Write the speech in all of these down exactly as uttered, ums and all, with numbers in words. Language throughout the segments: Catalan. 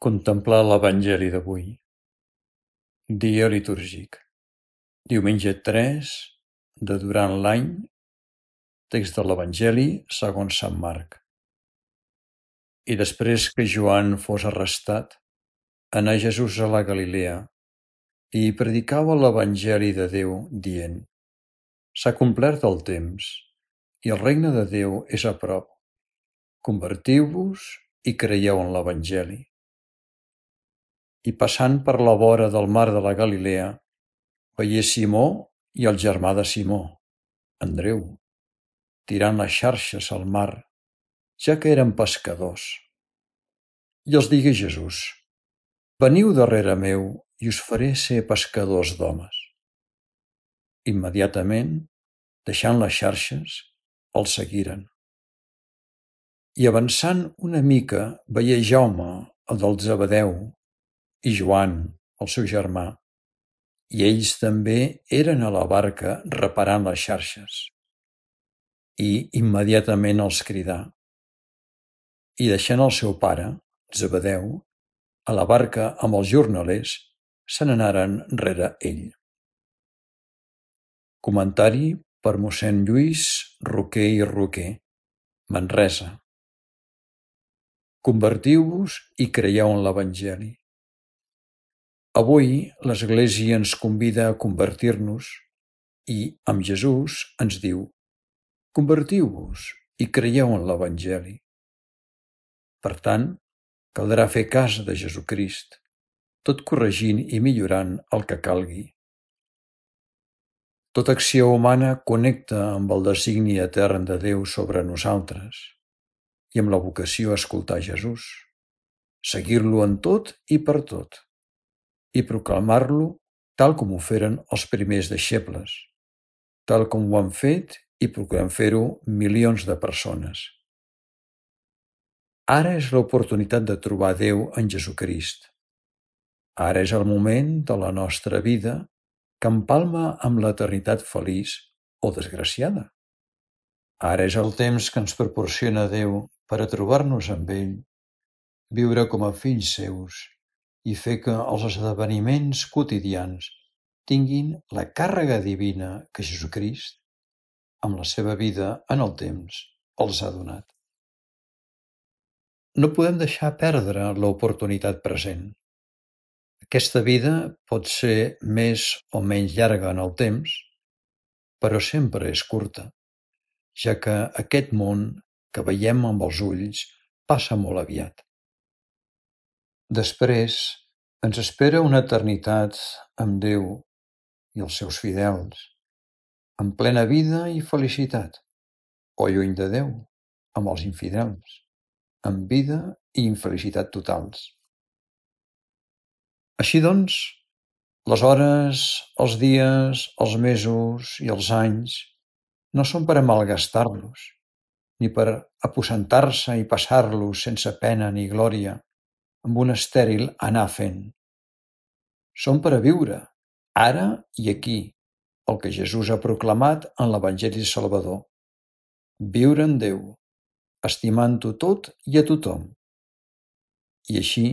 Contemplar l'Evangeli d'avui. Dia litúrgic. Diumenge tres de durant l'any. Text de l'Evangeli segons Sant Marc. I després que Joan fos arrestat, anà Jesús a la Galilea i predicava l'Evangeli de Déu, dient: S'ha complert el temps, i el regne de Déu és a prop. Convertiu-vos i creieu en l'Evangeli. I passant per la vora del mar de la Galilea, veié Simó i el germà de Simó, Andreu, tirant les xarxes al mar, ja que eren pescadors. I els digué Jesús: Veniu darrere meu i us faré ser pescadors d'homes. Immediatament, deixant les xarxes, els seguiren. I avançant una mica veié Jaume, el del Zebedeu, i Joan, el seu germà, i ells també eren a la barca reparant les xarxes. I immediatament els cridà. I deixant el seu pare, Zebedeu, a la barca amb els jornalers, se n'anaren rere ell. Comentari per mossèn Lluís Roquer i Roquer, Manresa. Convertiu-vos i creieu en l'Evangeli. Avui l'Església ens convida a convertir-nos i, amb Jesús, ens diu: Convertiu-vos i creieu en l'Evangeli. Per tant, caldrà fer cas de Jesucrist, tot corregint i millorant el que calgui. Tota acció humana connecta amb el designi etern de Déu sobre nosaltres i amb la vocació a escoltar Jesús, seguir-lo en tot i per tot, i proclamar-lo tal com ho feren els primers deixebles, tal com ho han fet i procurem fer-ho milions de persones. Ara és l'oportunitat de trobar Déu en Jesucrist. Ara és el moment de la nostra vida que empalma amb l'eternitat feliç o desgraciada. Ara és el temps que ens proporciona Déu per a trobar-nos amb ell, viure com a fills seus i fer que els esdeveniments quotidians tinguin la càrrega divina que Jesucrist, amb la seva vida en el temps, els ha donat. No podem deixar perdre l'oportunitat present. Aquesta vida pot ser més o menys llarga en el temps, però sempre és curta, ja que aquest món que veiem amb els ulls passa molt aviat. Després ens espera una eternitat amb Déu i els seus fidels, en plena vida i felicitat, o lluny de Déu, amb els infidels, amb vida i infelicitat totals. Així doncs, les hores, els dies, els mesos i els anys no són per a malgastar-los, ni per aposentar-se i passar-los sense pena ni glòria, amb un estèril anar fent. Són per a viure, ara i aquí, el que Jesús ha proclamat en l'Evangeli Salvador. Viure en Déu, estimant-ho tot i a tothom. I així,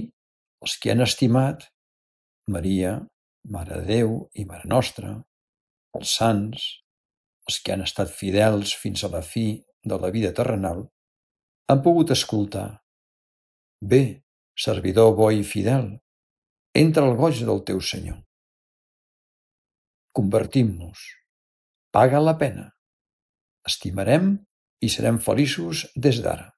els que han estimat Maria, Mare de Déu i Mare Nostra, els sants, els que han estat fidels fins a la fi de la vida terrenal, han pogut escoltar: Bé, servidor bo i fidel, entra al goig del teu Senyor. Convertim-nos. Paga la pena. Estimarem i serem feliços des d'ara.